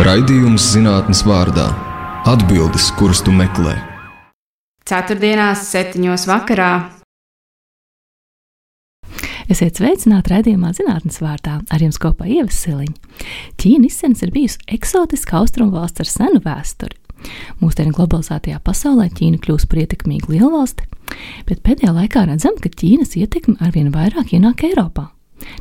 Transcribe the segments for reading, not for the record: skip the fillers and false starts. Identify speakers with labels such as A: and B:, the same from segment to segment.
A: Raidījums zinātnes vārdā – atbildes, kuras tu meklē.
B: Ceturtdienās 7:00 vakarā.
C: Esiet sveicināti raidījumā zinātnes vārdā, ar jums kopā Ieva Siliņa. Ķīna izsens ir bijusi eksotiska austrumu valsts ar senu vēsturi. Mūsdienu globalizētajā pasaulē Ķīna kļūst par ietekmīgu lielvalsti, bet pēdējā laikā redzam, ka Ķīnas ietekme arvien vairāk ienāk Eiropā.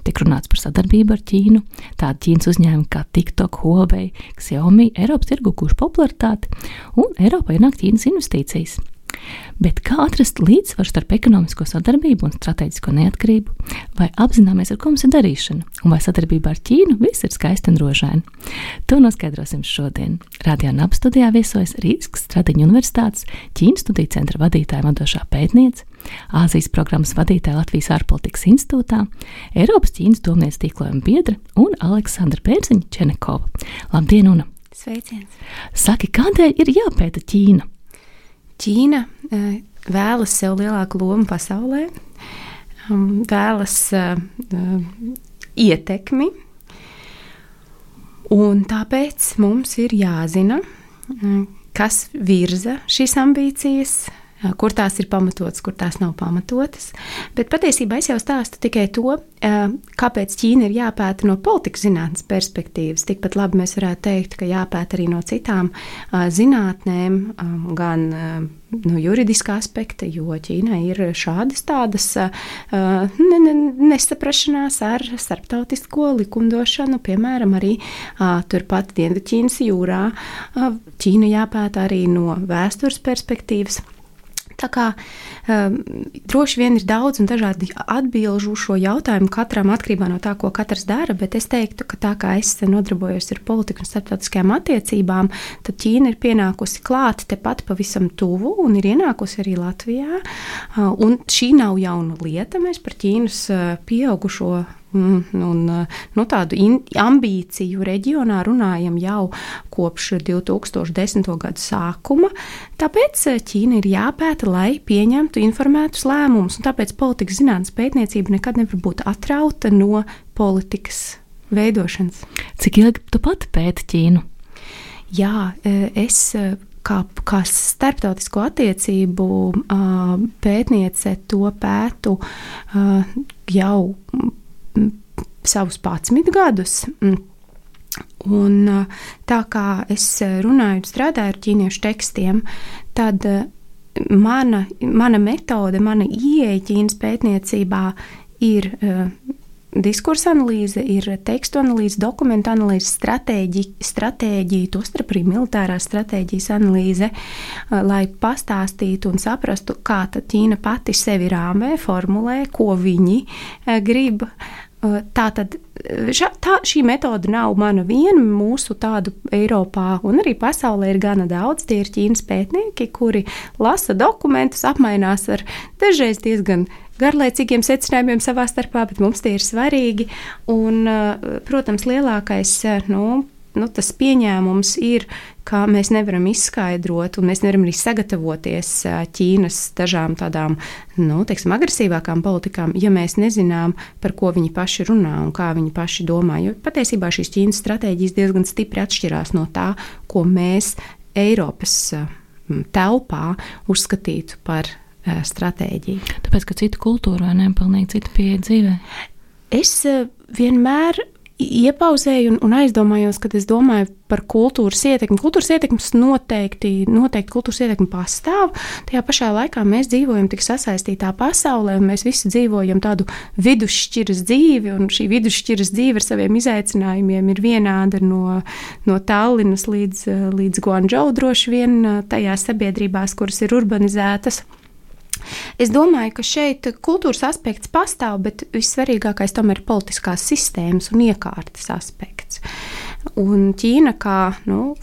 C: Tiek runāts par sadarbību ar Ķīnu, tādi Ķīnas uzņēmumi kā TikTok, Huawei, Xiaomi Eiropas tirgu guvuši popularitāti, un Eiropā ienāk Ķīnas investīcijas. Bet kā atrast līdzsvaru starp ekonomisko sadarbību un strateģisko neatkarību? Vai apzināmies, ar ko mums ir darīšana? Un vai sadarbībā ar Ķīnu viss ir skaisti un rožaini? To noskaidrosim šodien. Radio NAB studijā viesojas Rīgas Stradiņu universitātes Ķīnas studiju centra vadītāja vadošā pētniece, Āzijas programmas vadītāja Latvijas ārpolitikas institūtā, Eiropas Ķīnas domnīcas tīklojuma biedra un Aleksandra Pērziņa Čenekova. Labdien, Una!
B: Sveiciens!
C: Saki, kādēļ ir jāpēta Ķīna?
B: Ķīna vēlas sev lielāku lomu pasaulē, vēlas ietekmi, un tāpēc mums ir jāzina, kas virza šīs ambīcijas, kur tās ir pamatotas, kur tās nav pamatotas. Bet patiesībā es jau stāstu tikai to, kāpēc Ķīna ir jāpēta no politikas zinātnes perspektīvas. Tikpat labi mēs varētu teikt, ka jāpēta arī no citām zinātnēm, gan no juridiskā aspekta, jo Ķīnai ir šādas tādas nesaprašanās ar starptautisko likumdošanu, piemēram, arī turpat Dienvidķīnas jūrā. Ķīna jāpēta arī no vēstures perspektīvas. Tā kā droši vien ir daudz un dažādi atbilžu šo jautājumu katram atkarībā no tā, ko katrs dara, bet es teiktu, ka tā kā es nodarbojos ar politiku un starptautiskajām attiecībām, tad Ķīna ir pienākusi klāt tepat pavisam tuvu un ir ienākusi arī Latvijā. Un šī nav jauna lieta, mēs par Ķīnas pieaugušo un tādu ambīciju reģionā runājam jau kopš 2010. Gadu sākuma. Tāpēc Ķīna ir jāpēta, lai pieņemtu informētus lēmumus, un tāpēc politikas zinātnes pētniecība nekad nevar būt atrauta no politikas veidošanas.
C: Cik ilgi tu pati pēti Ķīnu?
B: Jā, es kā starptautisko attiecību pētniece to pētu jau savus 11 gadus. Un tā kā es runāju un strādāju ar ķīniešu tekstiem, tad mana metode, mana ieeja Ķīnas pētniecībā ir diskursa analīze, ir tekstu analīze, dokumentu analīze, stratēģija, tostarp arī militārās stratēģijas analīze, lai pastāstītu un saprastu, kā tad Ķīna pati sevi rāmē, formulē, ko viņi grib. Tātad šī metode nav mana viena, mūsu tādu Eiropā un arī pasaulē ir gana daudz. Tie ir Ķīnas pētnieki, kuri lasa dokumentus, apmainās ar dažreiz diezgan garlaicīgiem secinājumiem savā starpā, bet mums tie ir svarīgi. Un, protams, lielākais tas pieņēmums ir, ka mēs nevaram izskaidrot un mēs nevaram arī sagatavoties Ķīnas dažām tādām, agresīvākām politikām, ja mēs nezinām, par ko viņi paši runā un kā viņi paši domā. Jo patiesībā šīs Ķīnas stratēģijas diezgan stipri atšķirās no tā, ko mēs Eiropas telpā uzskatītu par stratēģiju.
C: Tāpēc, ka cita kultūra vai ne, pilnīgi cita pieeja dzīvē?
B: Es vienmēr iepauzēju un aizdomājos, kad es domāju par kultūras ietekmi. Kultūras ietekmes noteikti kultūras ietekmi pastāv. Tajā pašā laikā mēs dzīvojam tik sasaistītā pasaulē, un mēs visi dzīvojam tādu vidusšķiras dzīvi, un šī vidusšķiras dzīve ar saviem izaicinājumiem ir vienāda no Tallinas līdz Guangdžou droši vien tajās sabiedrībās, kuras ir urbanizētas. Es domāju, ka šeit kultūras aspekts pastāv, bet vissvarīgākais tomēr ir politiskās sistēmas un iekārtas aspekts. Un Ķīna kā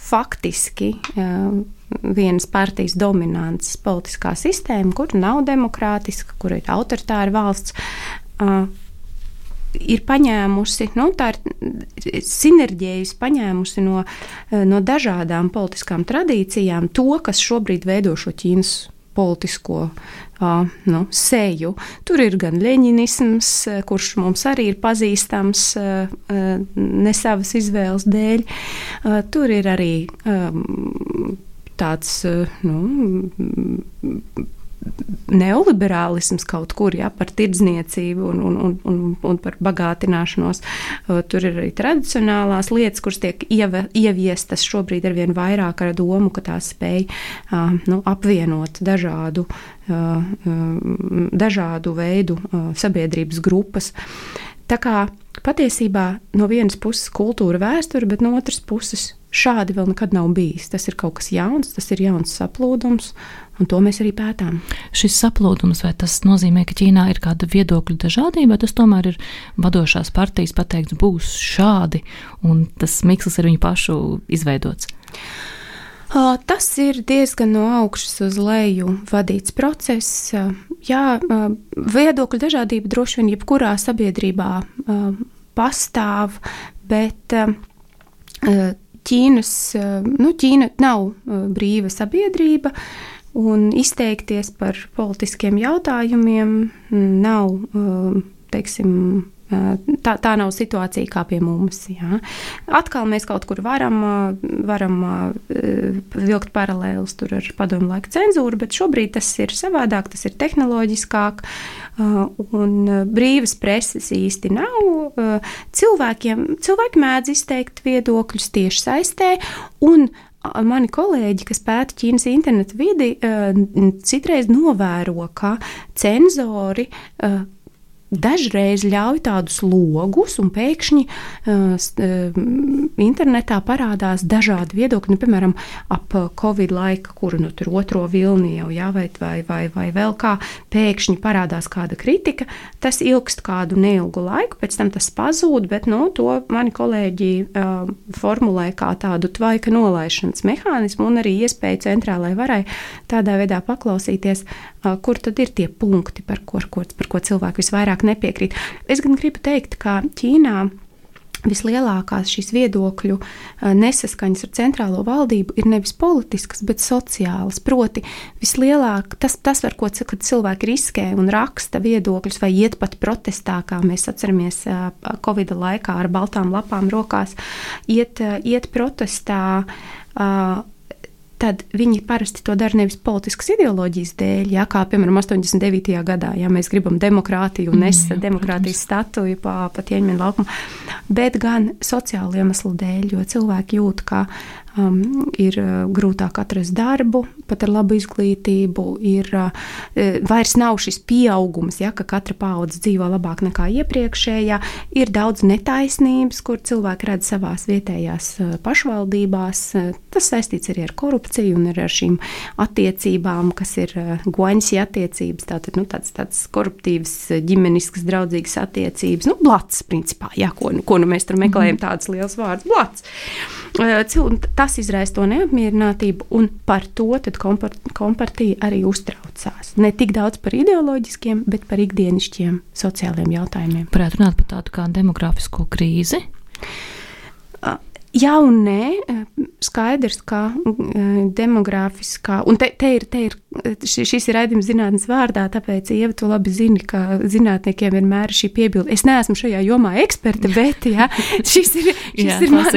B: faktiski vienas partijas dominants politiskā sistēma, kur nav demokrātiska, kur ir autoritāra valsts, ir paņēmusi, tā ir sinerģējusi, paņēmusi no dažādām politiskām tradīcijām to, kas šobrīd veido šo Ķīnas politisko seju. Tur ir gan leņinisms, kurš mums arī ir pazīstams ne savas izvēles dēļ. Tur ir arī tāds neoliberālisms kaut kur, par tirdzniecību un par bagātināšanos. Tur ir arī tradicionālās lietas, kuras tiek ieviestas šobrīd arvien vairāk ar domu, ka tās spēj apvienot dažādu veidu sabiedrības grupas. Tā kā patiesībā no vienas puses kultūra vēsture, bet no otras puses šādi vēl nekad nav bijis. Tas ir kaut kas jauns, tas ir jauns saplūdums, un to mēs arī pētām.
C: Šis saplūdums, vai tas nozīmē, ka Ķīnā ir kāda viedokļu dažādība, vai tas tomēr ir vadošās partijas pateikts, būs šādi, un tas mikslis ir viņu pašu izveidots?
B: Tas ir diezgan no augšas uz leju vadīts process. Jā, viedokļu dažādība droši vien jebkurā sabiedrībā pastāv, bet Ķīna nav brīva sabiedrība, un izteikties par politiskiem jautājumiem nav, tā nav situācija kā pie mums. Jā. Atkal mēs kaut kur varam vilkt paralēlus tur ar padomu laika cenzūru, bet šobrīd tas ir savādāk, tas ir tehnoloģiskāk, un brīvas preses īsti nav. Cilvēki mēdz izteikt viedokļus tieši saistē, un mani kolēģi, kas pēta Ķīnas internetu vidi, citreiz novēro, ka cenzori dažreiz ļauj tādus logus, un pēkšņi internetā parādās dažādi viedokļi, piemēram, ap Covid laika, kuru tur otro vilni jau vai vēl kā, pēkšņi parādās kāda kritika. Tas ilgst kādu neilgu laiku, pēc tam tas pazūd, bet to mani kolēģi formulē kā tādu tvaika nolaišanas mehānismu un arī iespēju centrālai varai tādā veidā paklausīties, kur tad ir tie punkti, par ko cilvēki visvairāk nepiekrīt. Es gan gribu teikt, ka Ķīnā vislielākās šīs viedokļu nesaskaņas ar centrālo valdību ir nevis politiskas, bet sociālas. Proti, vislielāk tas ar ko cilvēki riskē un raksta viedokļus vai iet pat protestā, kā mēs atceramies Covid laikā ar baltām lapām rokās, iet protestā, tad viņi parasti to dara nevis politiskas ideoloģijas dēļ, kā piemēram 89. gadā, ja mēs gribam demokrātiju un demokrātijas statuju pa Tianjmen laukumu, bet gan sociālu iemeslu dēļ, jo cilvēki jūt, ka ir grūtāk atrast darbu, pat ar labu izglītību, vairs nav šis pieaugums, ka katra paudze dzīvo labāk nekā iepriekšējā, ir daudz netaisnības, kur cilvēki redz savās vietējās pašvaldībās. Tas saistīts arī ar korupciju un ar šīm attiecībām, kas ir guaņsi attiecības, tāds koruptīvs, ģimeniskas, draudzīgas attiecības, blats, principā, ko mēs tur meklējam tādas liels vārds, blats. Tas izraisa to neapmierinātību, un par to tad kompartija arī uztraucās. Ne tik daudz par ideoloģiskiem, bet par ikdienišķiem sociāliem jautājumiem.
C: Varētu runāt par tādu kā demografisko krīzi?
B: Jā un nē, skaidrs, ka demogrāfiskā, un šis ir raidījums zinātnes vārdā, tāpēc, Ieva, tu labi zini, ka zinātniekiem vienmēr ir šī piebilde. Es neesmu šajā jomā eksperte, bet, šis ir mans,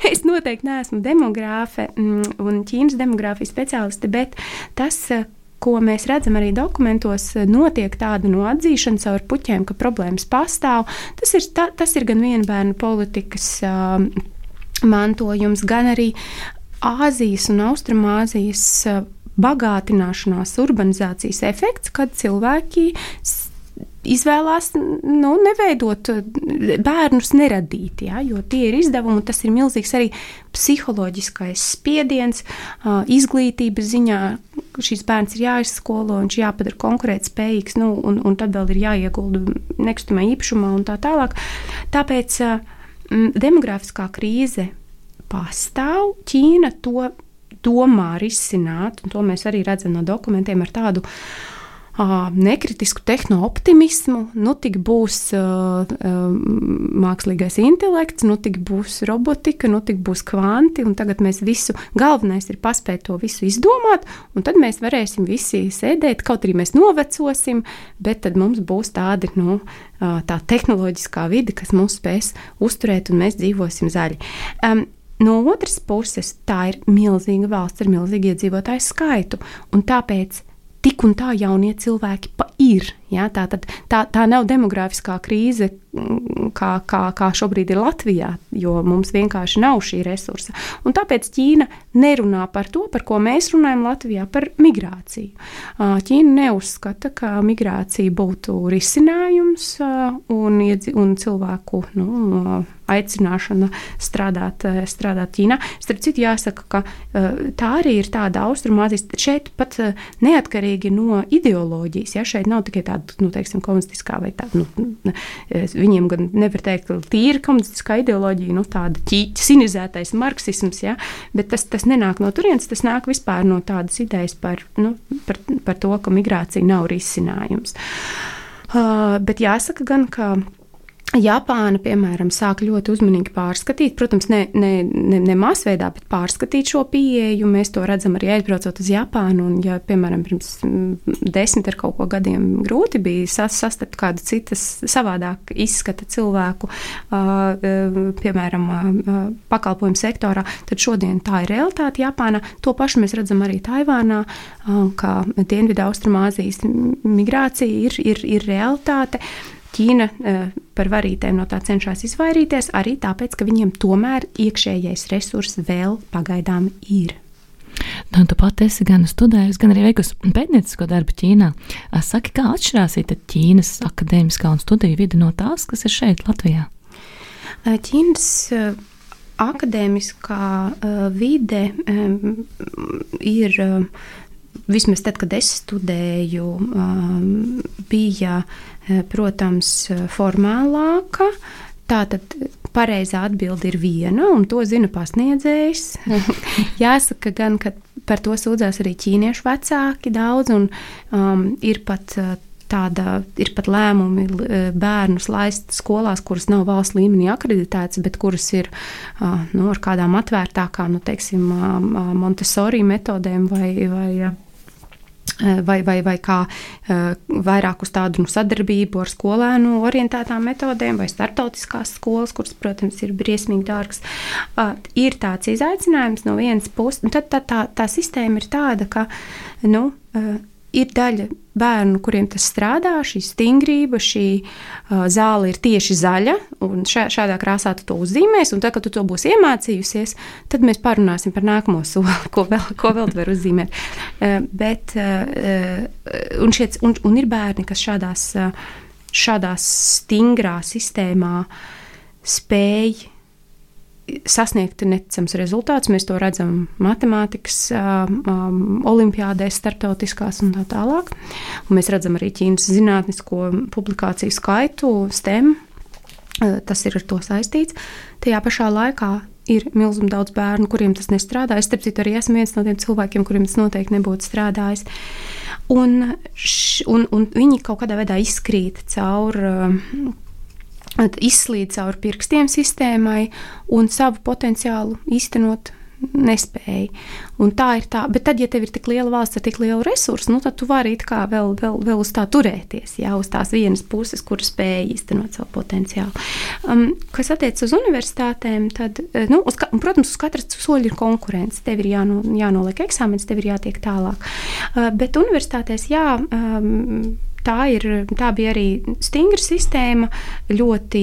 B: es noteikti neesmu demogrāfe un Ķīnas demogrāfijas speciāliste, bet tas, ko mēs redzam arī dokumentos, notiek tāda atzīšana caur puķiem, ka problēmas pastāv. Tas ir gan vienbērnu politikas mantojums, gan arī Āzijas un Austrumāzijas bagātināšanās, urbanizācijas efekts, kad cilvēki izvēlās neveidot bērnus neradīt, jo tie ir izdevumi, tas ir milzīgs arī psiholoģiskais spiediens, izglītības ziņā. Šis bērns ir jāizskolo, viņš jāpadara konkurētspējīgs, un tad vēl ir jāiegulda nekustamā īpašumā un tā tālāk. Tāpēc demografiskā krīze pastāv, Ķīna to domā risināt, un to mēs arī redzam no dokumentiem ar tādu nekritisku tehnooptimismu, tik būs mākslīgais intelekts, tik būs robotika, tik būs kvanti, un tagad mēs visu, galvenais ir paspēt to visu izdomāt, un tad mēs varēsim visi sēdēt, kaut arī mēs novecosim, bet tad mums būs tādi, tā tehnoloģiskā vide, kas mūs spēs uzturēt, un mēs dzīvosim zaļi. No otras puses, tā ir milzīga valsts ar milzīgu iedzīvotāju skaitu, un tāpēc tik un tā jaunie cilvēki ir. Ja? Tā nav demogrāfiskā krīze, kā šobrīd ir Latvijā, jo mums vienkārši nav šī resursa. Un tāpēc Ķīna nerunā par to, par ko mēs runājam Latvijā, par migrāciju. Ķīna neuzskata, ka migrācija būtu risinājums un cilvēku aicināšana strādāt Ķīnā. Starp citu, jāsaka, ka tā arī ir tāda Austrumāzijas, šeit pat neatkarīgi no ideoloģijas, ja šeit nav tikai tāda, teiksim, komunistiskā vai tāda, viņiem gan nevar teikt, ka tīra komunistiskā ideoloģija, tāda cinizētais marksisms, ja, bet tas nenāk no turienes, tas nāk vispār no tādas idejas par to, ka migrācija nav risinājums. Bet jāsaka gan, ka Japāna, piemēram, sāk ļoti uzmanīgi pārskatīt, protams, ne masveidā, bet pārskatīt šo pieeju. Mēs to redzam arī aizbraucot uz Japānu, un, ja, piemēram, pirms 10 ar kaut ko gadiem grūti bija sastapt kādu citas savādāk izskata cilvēku, piemēram, pakalpojumu sektorā, tad šodien tā ir realitāte Japānā. To pašu mēs redzam arī Taivānā, ka Dienvidu Austrumāzijas migrācija ir realitāte. Ķīna par varītēm no tā cenšas izvairīties arī tāpēc, ka viņiem tomēr iekšējais resurs vēl pagaidām ir.
C: Tu pati esi gan studējusi, gan arī veikusi pētniecisko darbu Ķīnā. Saki, kā atšķirās Ķīnas akadēmiskā un studiju vide no tās, kas ir šeit Latvijā?
B: Ķīnas akadēmiskā vide ir, vismaz tad, kad es studēju, bija, protams, formālāka. Tātad pareizā atbilde ir viena, un to zina pasniedzējs. Jāsaka gan, ka par to sūdzās arī ķīniešu vecāki daudz, un ir pat lēmumi bērnus laist skolās, kuras nav valsts līmenī akreditētas, bet kuras ir ar kādām atvērtākām, teiksim, Montessori metodēm vai kā vairāk uz tādu sadarbību ar skolēnu orientētām metodēm vai startautiskās skolas, kuras, protams, ir briesmīgi dārgas. Ir tāds izaicinājums no vienas puses, un tad tā sistēma ir tāda, ka, ir daļa bērnu, kuriem tas strādā, šī stingrība, šī zāle ir tieši zaļa, un šādā krāsā tu to uzzīmēs, un tad, kad tu to būsi iemācījusies, tad mēs parunāsim par nākamo soli, ko vēl tu vari uzzīmēt. Un ir bērni, kas šādā stingrā sistēmā spēj sasniegt neticams rezultāts. Mēs to redzam matemātikas olimpiādēs, starptautiskās un tā tālāk. Un mēs redzam arī Ķīnas zinātnisko publikāciju skaitu, STEM. Tas ir ar to saistīts. Tajā pašā laikā ir milzīgi daudz bērnu, kuriem tas nestrādā. Es, starp citu, arī esmu viens no tiem cilvēkiem, kuriem tas noteikti nebūtu strādājis. Un viņi kaut kādā veidā izkrīt izslīd caur pirkstiem sistēmai un savu potenciālu īstenot nespēja. Un tā ir tā, bet tad, ja tev ir tik liela valsts ar tik lielu resursu, tad tu vari it kā vēl uz tā turēties, jā, uz tās vienas puses, kur spēja īstenot savu potenciālu. Kas attiec uz universitātēm, tad, protams, uz katras soļa ir konkurence. Tev ir jānoliek eksāmenis, tev ir jātiek tālāk. Bet universitātēs, tā bija arī stingra sistēma, ļoti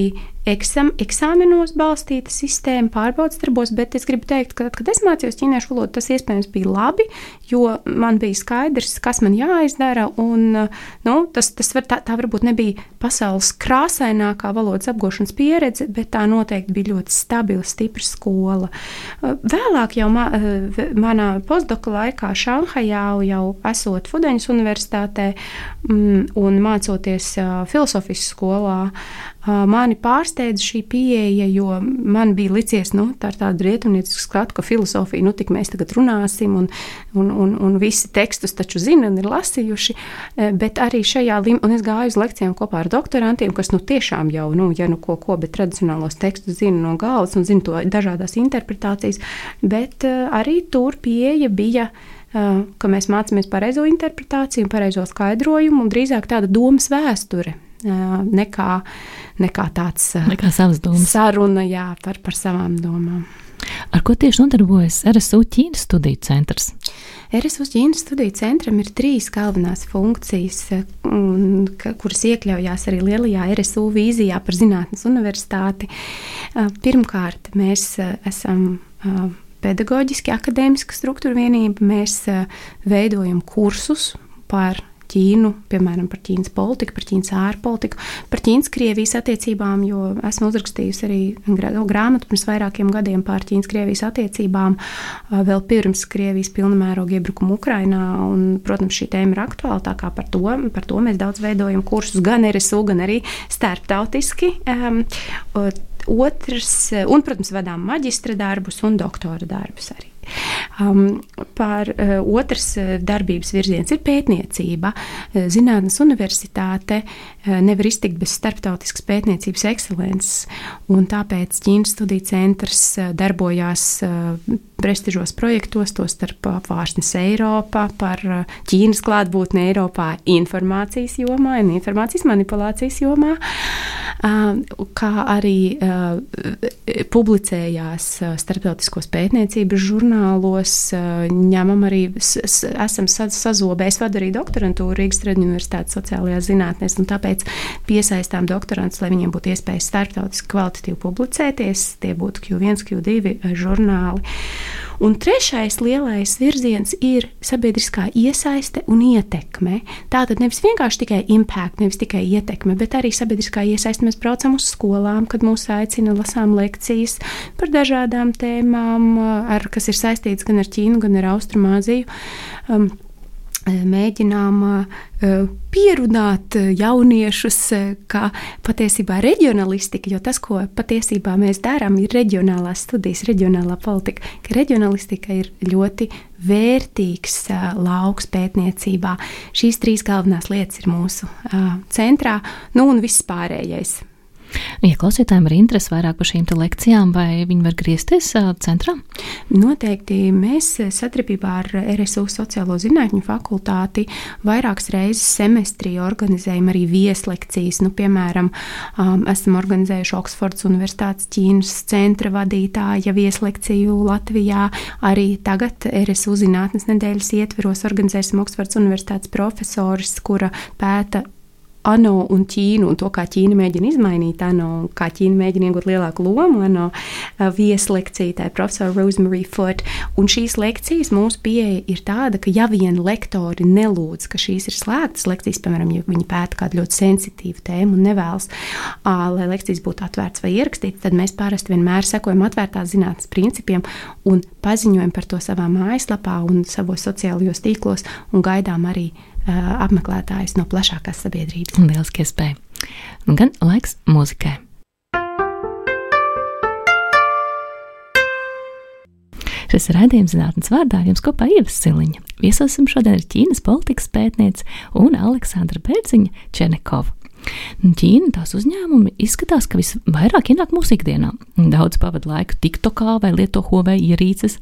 B: eksāmenos balstīta sistēma, pārbaudas darbos, bet es gribu teikt, ka, kad es mācījos ķīniešu valodu, tas iespējams bija labi, jo man bija skaidrs, kas man jāizdara, un tā varbūt nebija pasaules krāsainākā valodas apgūšanas pieredze, bet tā noteikti bija ļoti stabila, stipra skola. Vēlāk jau manā postdoka laikā Šanhajā, jau esot Fudeņas universitātē un mācoties filosofijas skolā, Mani pārsteidza šī pieeja, jo man bija licies, tā ir tāda rietumniecisku skatu, ka filozofija, tik mēs tagad runāsim, un visi tekstus taču zina un ir lasījuši, bet arī šajā un es gāju uz lekcijām kopā ar doktorantiem, kas tiešām jau, bet tradicionālos tekstus zina no galvas un zina to dažādās interpretācijas, bet arī tur pieeja bija, ka mēs mācāmies pareizo interpretāciju, pareizo skaidrojumu un drīzāk tāda domas vēsture. Nekā tāds
C: savas domas.
B: Saruna par savām domām.
C: Ar ko tieši nodarbojas RSU Ķīnas studiju centrs?
B: RSU Ķīnas studiju centram ir 3 galvenās funkcijas, kuras iekļaujās arī lielajā RSU vīzijā par zinātnes universitāti. Pirmkārt, mēs esam pedagoģiski akadēmiska struktūra vienība. Mēs veidojam kursus par Ķīnu, piemēram, par Ķīnas politiku, par Ķīnas ārpolitiku, par Ķīnas-Krievijas attiecībām, jo esmu uzrakstījusi arī grāmatu pirms vairākiem gadiem par Ķīnas-Krievijas attiecībām, vēl pirms Krievijas pilnamēroga iebrukuma Ukrainā, un, protams, šī tēma ir aktuāla, tā kā par to mēs daudz veidojam kursus, gan RSU, gan arī starptautiski. Un, protams, vadām maģistra darbus un doktora darbus arī. Otrs darbības virziens ir pētniecība. Zinātnes universitāte nevar iztikt bez starptautiskas pētniecības ekscelences, un tāpēc Ķīnas studiju centrs darbojās prestižos projektos, tostarp Apvārsnes Eiropa, par Ķīnas klātbūtni Eiropā informācijas jomā un informācijas manipulācijas jomā, kā arī publicējās starptautiskos pētniecības žurnālos, ņemam arī, esam sazobējis, vadu arī doktorantūru Rīgas Traģiņu universitātes sociālajās zinātnēs, un tāpēc piesaistām doktorantus, lai viņiem būtu iespējas starptautiski kvalitatīvi publicēties, tie būtu Q1, Q2 žurnāli. Un trešais lielais virziens ir sabiedriskā iesaiste un ietekme. Tātad nevis vienkārši tikai impact, nevis tikai ietekme, bet arī sabiedriskā iesaiste. Mēs braucam uz skolām, kad mūs aicina, lasām lekcijas par dažādām tēmām, kas ir saistītas gan ar Ķīnu, gan ar Austrumāziju. Mēģinām pierunāt jauniešus, ka patiesībā reģionalistika, jo tas, ko patiesībā mēs darām, ir reģionālās studijas, reģionālā politika, ka reģionalistika ir ļoti vērtīgs lauks pētniecībā. Šīs 3 galvenās lietas ir mūsu centrā, un viss pārējais.
C: Ja klausītājiem ir interesi vairāk par šīm lekcijām, vai viņi var griezties centrā?
B: Noteikti mēs sadarbībā ar RSU sociālo zinātņu fakultāti vairākas reizes semestrī organizējam arī vieslekcijas. Piemēram, esam organizējuši Oksfordas Universitātes Ķīnas centra vadītāja vieslekciju Latvijā. Arī tagad RSU zinātnes nedēļas ietveros organizēsim Oksfordas Universitātes profesoris, kura pēta ANO un Ķīnu, un to, kā Ķīna mēģina izmainīt ANO, un kā Ķīna mēģina iegūt lielāku lomu ANO vieslekcija, tā ir profesora Rosemary Foot. Un šīs lekcijas mūsu pieeja ir tāda, ka ja vien lektori nelūdz, ka šīs ir slēgtas lekcijas, piemēram, ja viņi pēta kādu ļoti sensitīvu tēmu un nevēlas, lai lekcijas būtu atvērts vai ierakstīts, tad mēs parasti vienmēr sekojam atvērtās zinātnes principiem un paziņojam par to savā mājaslapā un savos sociālajos tīklos un gaidām arī apmeklētājus no plašākās sabiedrības.
C: Lieliski iespēja. Gan laiks mūzikai. Šis ir raidījums Zinātnes vārdā, jums kopā Ieva Siliņa. Viesosim šodien ar Ķīnas politikas pētnieci un Aleksandra Bērziņa Černekova. Ķīna, tās uzņēmumi izskatās, ka visvairāk ienāk mūsu ikdienā. Daudz pavada laiku TikTokā vai lieto Huawei ierīces.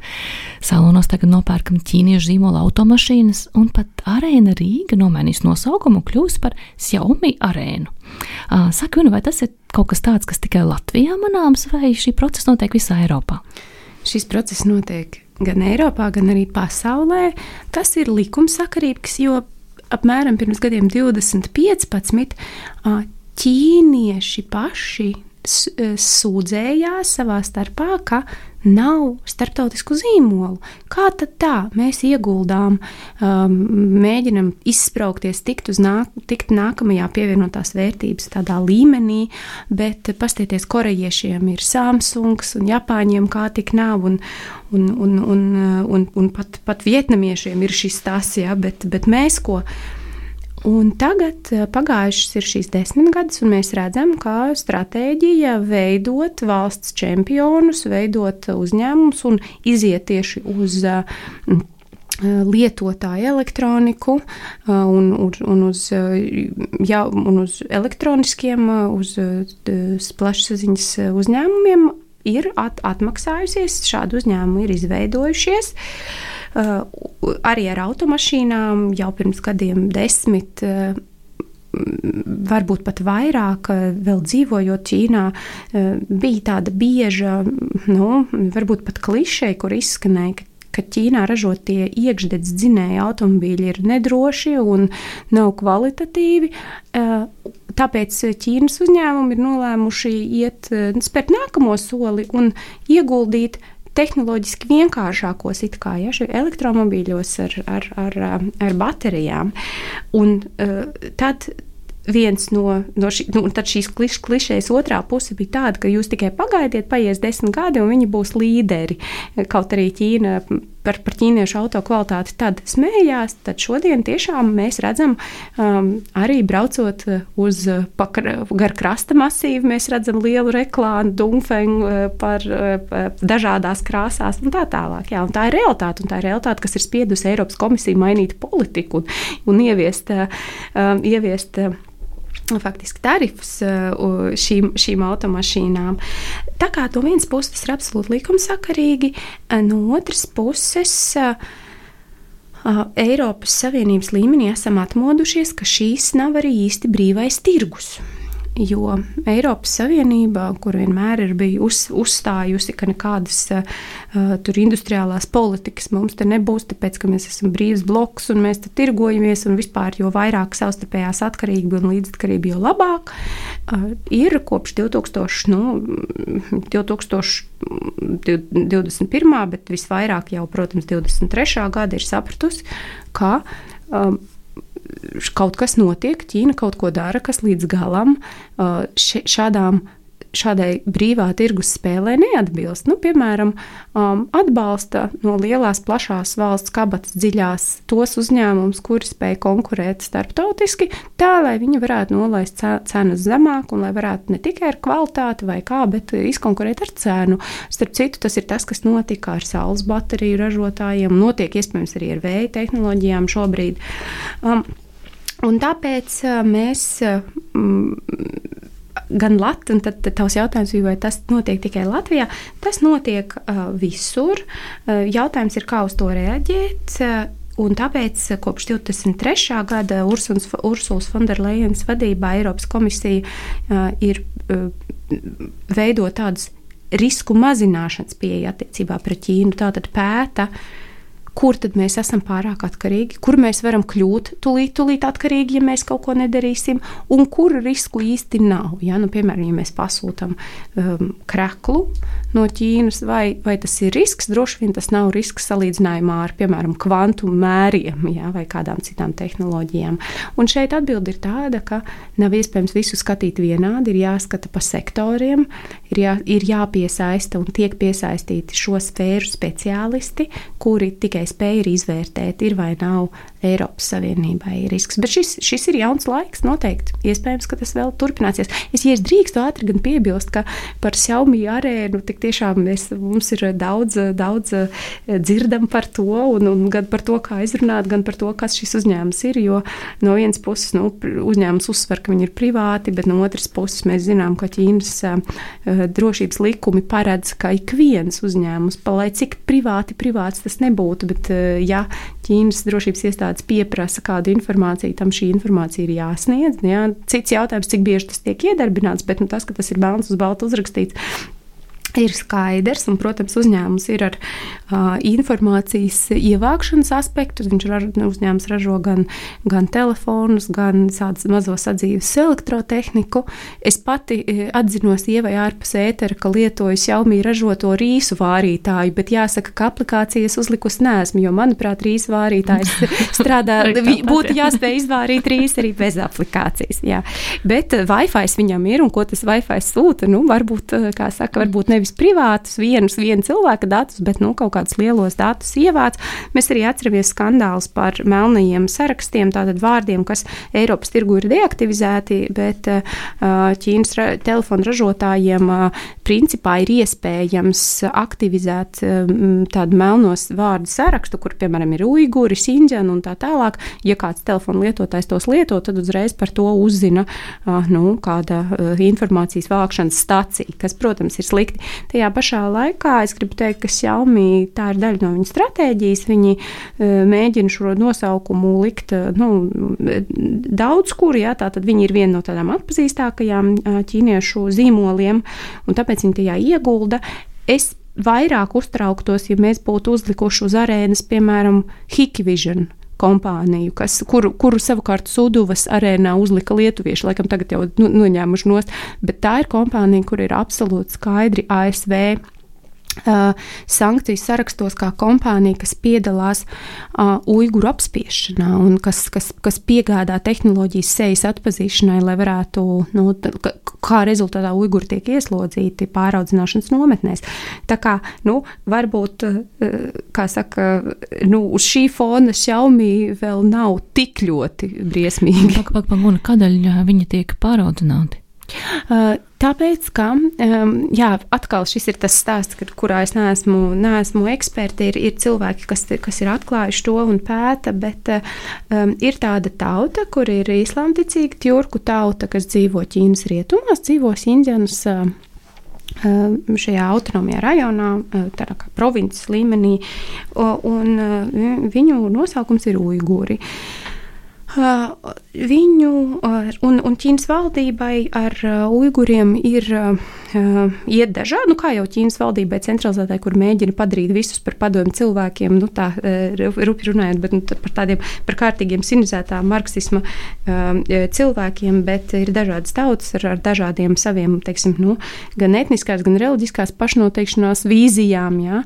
C: Salonos tagad nopērkam ķīniešu zīmola automašīnas, un pat Arēna Rīga nomainīs nosaukumu un kļūs par Xiaomi arēnu. Saka, vai tas ir kaut kas tāds, kas tikai Latvijā manāms, vai šī procesa notiek visā Eiropā?
B: Šis process notiek gan Eiropā, gan arī pasaulē. Tas ir likumsakarīgs, jo apmēram pirms gadiem 20-15 ķīnieši paši sūdzējās savā starpā, ka nav starptautisku zīmolu. Kā tad tā? Mēs ieguldām, mēģinam izspraukties, tikt nākamajā pievienotās vērtības tādā līmenī, bet pastieties, korejiešiem ir Samsungs un Japāņiem kā tik nav, un pat vietnamiešiem ir šis tas, ja, bet mēs ko. Un tagad pagājušas ir šīs 10 gadus, un mēs redzam, ka stratēģija veidot valsts čempionus, veidot uzņēmumus un iziet tieši uz lietotāju elektroniku un uz elektroniskiem, uz plašsaziņas uzņēmumiem ir atmaksājusies, šādu uzņēmumu ir izveidojušies. Arī ar automašīnām jau pirms gadiem 10, varbūt pat vairāk, vēl dzīvojot Ķīnā, bija tāda bieža, varbūt pat klišeja, kur izskanēja, ka Ķīnā ražotie iekšdedz dzinēja automobīļi ir nedroši un nav kvalitatīvi. Tāpēc Ķīnas uzņēmumi ir nolēmuši spērt nākamo soli un ieguldīt tehnoloģiski vienkāršākos elektromobīļos ar baterijām. Un tad viens tad šīs klišejas otrā puse bija tāda, ka jūs tikai pagaidiet, paies 10 gadi un viņi būs līderi. Kaut arī Ķīna par ķīniešu auto kvalitāti tad smējās, tad šodien tiešām mēs redzam, arī braucot gar krasta masīvu, mēs redzam lielu reklāmu, Dongfeng par dažādās krāsās un tā tālāk. Jā, un tā ir realitāte, kas ir spiedusi Eiropas komisiju mainīt politiku un ieviest faktiski tarifus šīm automašīnām. Tā kā no vienas puses tas ir absolūti likumsakarīgi, no otras puses Eiropas Savienības līmenī esam atmodušies, ka šīs nav arī īsti brīvais tirgus. Jo Eiropas Savienība, kur vienmēr ir bijusi uzstājusi, ka nekādas tur industriālās politikas mums te nebūs, tāpēc, ka mēs esam brīvs bloks un mēs te tirgojamies un vispār jo vairāk savstarpējās atkarība un līdzatkarība, jo labāk, ir kopš 2021. Bet visvairāk jau, protams, 23. gada ir sapratusi, ka kaut kas notiek, Ķīna kaut ko dara, kas līdz galam šādai brīvā tirgus spēlē neatbilst. Piemēram, atbalsta no lielās, plašās valsts kabatas dziļās tos uzņēmumus, kuri spēj konkurēt starptautiski, tā, lai viņi varētu nolaist cenas zemāk un lai varētu ne tikai ar kvalitāti vai kā, bet izkonkurēt ar cenu. Starp citu, tas ir tas, kas notika ar saules bateriju ražotājiem, notiek iespējams arī ar vēja tehnoloģijām šobrīd. Un tāpēc mēs gan un tad tavs jautājums bija, vai tas notiek tikai Latvijā. Tas notiek visur. Jautājums ir, kā uz to reaģēt. Un tāpēc kopš 23. gada Ursulas Fonderlejens vadībā Eiropas komisija ir veidot tādus risku mazināšanas pieeja attiecībā pret Ķīnu. Tātad pēta, kur tad mēs esam pārāk atkarīgi, kur mēs varam kļūt tūlīt atkarīgi, ja mēs kaut ko nedarīsim, un kur risku īsti nav. Ja? Piemēram, ja mēs pasūtam kreklu no Ķīnas, vai tas ir risks, droši vien tas nav risks salīdzinājumā ar, piemēram, kvantu mēriem, ja? Vai kādām citām tehnoloģijām. Un šeit atbilde ir tāda, ka nav iespējams visu skatīt vienādi, ir jāskata pa sektoriem, ir jāpiesaista un tiek piesaistīti šo sfēru speciālisti, kuri tikai spēja izvērtēt, ir vai nav Eiropas Savienībai risks. Bet šis ir jauns laiks, noteikti. Iespējams, ka tas vēl turpināsies. Ja es drīkstu ātri gan piebilst, ka par Xiaomi arēnu tik tiešām mums ir daudz dzirdam par to, un gan par to, kā izrunāt, gan par to, kas šis uzņēmums ir, jo no vienas puses uzņēmums uzsver, ka viņi ir privāti, bet no otras puses mēs zinām, ka Ķīnas drošības likumi paredz, ka ik viens uzņēmums, lai cik privāts tas nebūtu, bet ja Ķīnas drošības iestādes pieprasa kādu informāciju, tam šī informācija ir jāsniedz. Ja? Cits jautājums, cik bieži tas tiek iedarbināts, bet tas, ka tas ir melns uz baltu uzrakstīts, ir skaidrs, un, protams, uzņēmums ir ar informācijas ievākšanas aspektu. Uzņēmums ražo gan telefonus, gan tādas mazo sadzīves elektrotehniku. Es pati atzinos Ievai ārpus ētera, ka lietoju Xiaomi ražoto rīsu vārītāju, bet jāsaka, ka aplikācijas uzlikusi neesmu, jo, manuprāt, rīsu vārītājs strādā, būtu jāspēj izvārīt rīsu arī bez aplikācijas. Jā. Bet Wi-Fi viņam ir, un ko tas Wi-Fi sūta, varbūt, kā saka, varbūt nevis privātus, viena cilvēka datus, bet kaut kādus lielos datus ievāc. Mēs arī atceramies skandālus par melnajiem sarakstiem, tātad vārdiem, kas Eiropas tirgu ir deaktivizēti, bet Ķīnas telefonu ražotājiem principā ir iespējams aktivizēt tādu melnos vārdu sarakstu, kur, piemēram, ir uiguri, Sinģani un tā tālāk. Ja kāds telefonu lietotājs tos lieto, tad uzreiz par to uzzina kāda informācijas vākšanas stacija, kas, protams, ir slikti. Tajā pašā laikā es gribu teikt, ka Xiaomi tā ir daļa no viņa stratēģijas. Viņi mēģina šo nosaukumu likt daudz kur, jā, tātad viņi ir viena no tādām atpazīstākajām ķīniešu zīmoliem, un tāpēc viņi tajā iegulda. Es vairāk uztrauktos, ja mēs būtu uzlikuši uz arēnas, piemēram, Hikvision kompāniju, kuru savukārt Suduvas arēnā uzlika lietuvieši, laikam tagad jau noņēmuši nost, bet tā ir kompānija, kur ir absolūti skaidri ASV sankciju sarakstos kā kompānija, kas piedalās uiguru apspiešanā un kas piegādā tehnoloģijas sejas atpazīšanai, lai varētu, kā rezultātā uiguri tiek ieslodzīti pāraudzināšanas nometnēs. Tā kā, varbūt, kā saka, uz šī fona Xiaomi vēl nav tik ļoti briesmīgi.
C: Kādēļ viņi tiek pāraudzināti?
B: Tāpēc, ka, atkal šis ir tas stāsts, kurā es neesmu eksperti, ir cilvēki, kas ir atklājuši to un pēta, bet ir tāda tauta, kur ir islāmticīga tjurku tauta, kas dzīvo Ķīnas rietumās, dzīvo Sinģanas šajā autonomijā rajonā, tādā kā provinces līmenī, un viņu nosaukums ir uiguri. Viņu un Ķīnas valdībai ar uiguriem ir iet dažādi, kā jau Ķīnas valdībai centralizētāji, kur mēģina padarīt visus par padomju cilvēkiem, tā rupi runājot, bet par kārtīgiem sinizētā marksisma cilvēkiem, bet ir dažādas tautas ar dažādiem saviem, teiksim, gan etniskās, gan reliģiskās pašnoteikšanās vīzijām, jā.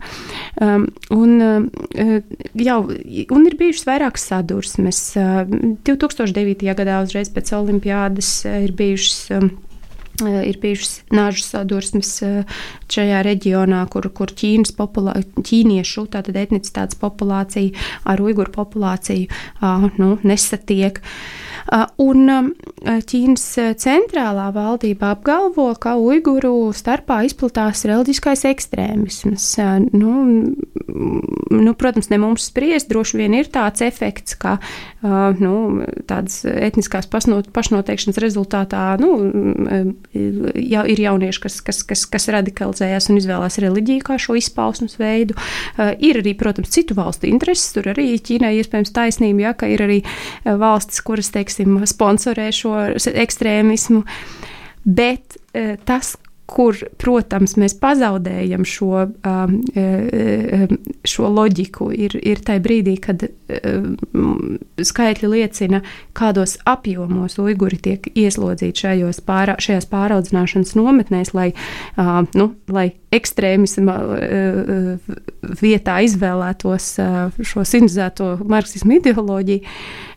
B: Un ir bijušas vairākas sadursmes. 2009. Gadā uzreiz pēc olimpiādas ir bijušas nāžu sadursmes šajā reģionā, kur ķīniešu, tātad etnicitātes populācija ar uiguru populāciju nesatiek. Un Ķīnas centrālā valdība apgalvo, ka uiguru starpā izplatās reliģiskais ekstrēmisms. Protams, ne mums spriest, droši vien ir tāds efekts, ka tādas etniskās pašnoteikšanas rezultātā ir jaunieši, kas radikalizējās un izvēlās reliģiju kā šo izpausmes veidu. Ir arī, protams, citu valstu intereses, tur arī Ķīnai iespējams taisnība, ja, ka ir arī valstis, kuras, teiksim, sponsorē šo ekstrēmismu, bet tas, kur, protams, mēs pazaudējam šo loģiku, ir tai brīdī, kad skaitļi liecina, kādos apjomos uiguri tiek ieslodzīti šajās pāraudzināšanas nometnēs, lai ekstrēmisma vietā izvēlētos šo sinizēto marksismu ideoloģiju.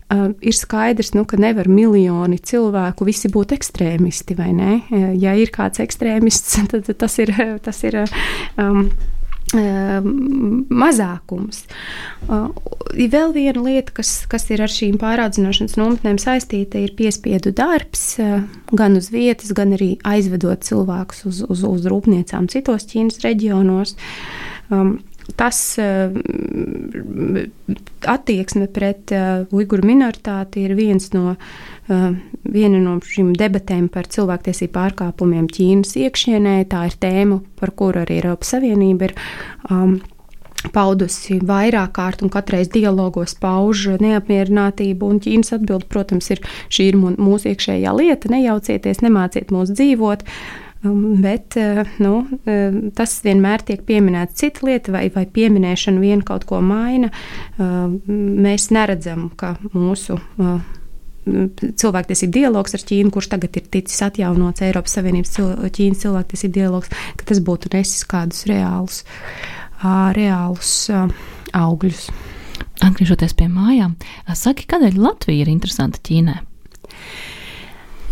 B: Ir skaidrs, ka nevar miljoni cilvēku visi būt ekstrēmisti, vai ne? Ja ir kāds ekstrēmists, tad tas ir mazākums. Vēl viena lieta, kas ir ar šīm pāraudzināšanas nometnēm saistīta, ir piespiedu darbs, gan uz vietas, gan arī aizvedot cilvēkus uz rūpniecām citos Ķīnas reģionos. Tas attieksme pret uiguru minoritāti ir viena no šīm debatēm par cilvēktiesību pārkāpumiem Ķīnas iekšienē. Tā ir tēma, par kuru arī Eiropas Savienība ir paudusi vairāk kārt un katreiz dialogos pauž neapmierinātību, un Ķīnas atbilde, protams, šī ir mūsu iekšējā lieta, nejaucieties, nemāciet mūs dzīvot. Bet tas vienmēr tiek pieminēts cita lieta, vai pieminēšana vien kaut ko maina. Mēs neredzam, ka mūsu cilvēktiesību dialogs ar Ķīnu, kurš tagad ir ticis atjaunots Eiropas Savienības Ķīnas cilvēktiesību dialogs, ka tas būtu nesis kādus reālus augļus.
C: Atgriežoties pie mājām, saki, kādēļ Latvija ir interesanta Ķīnai?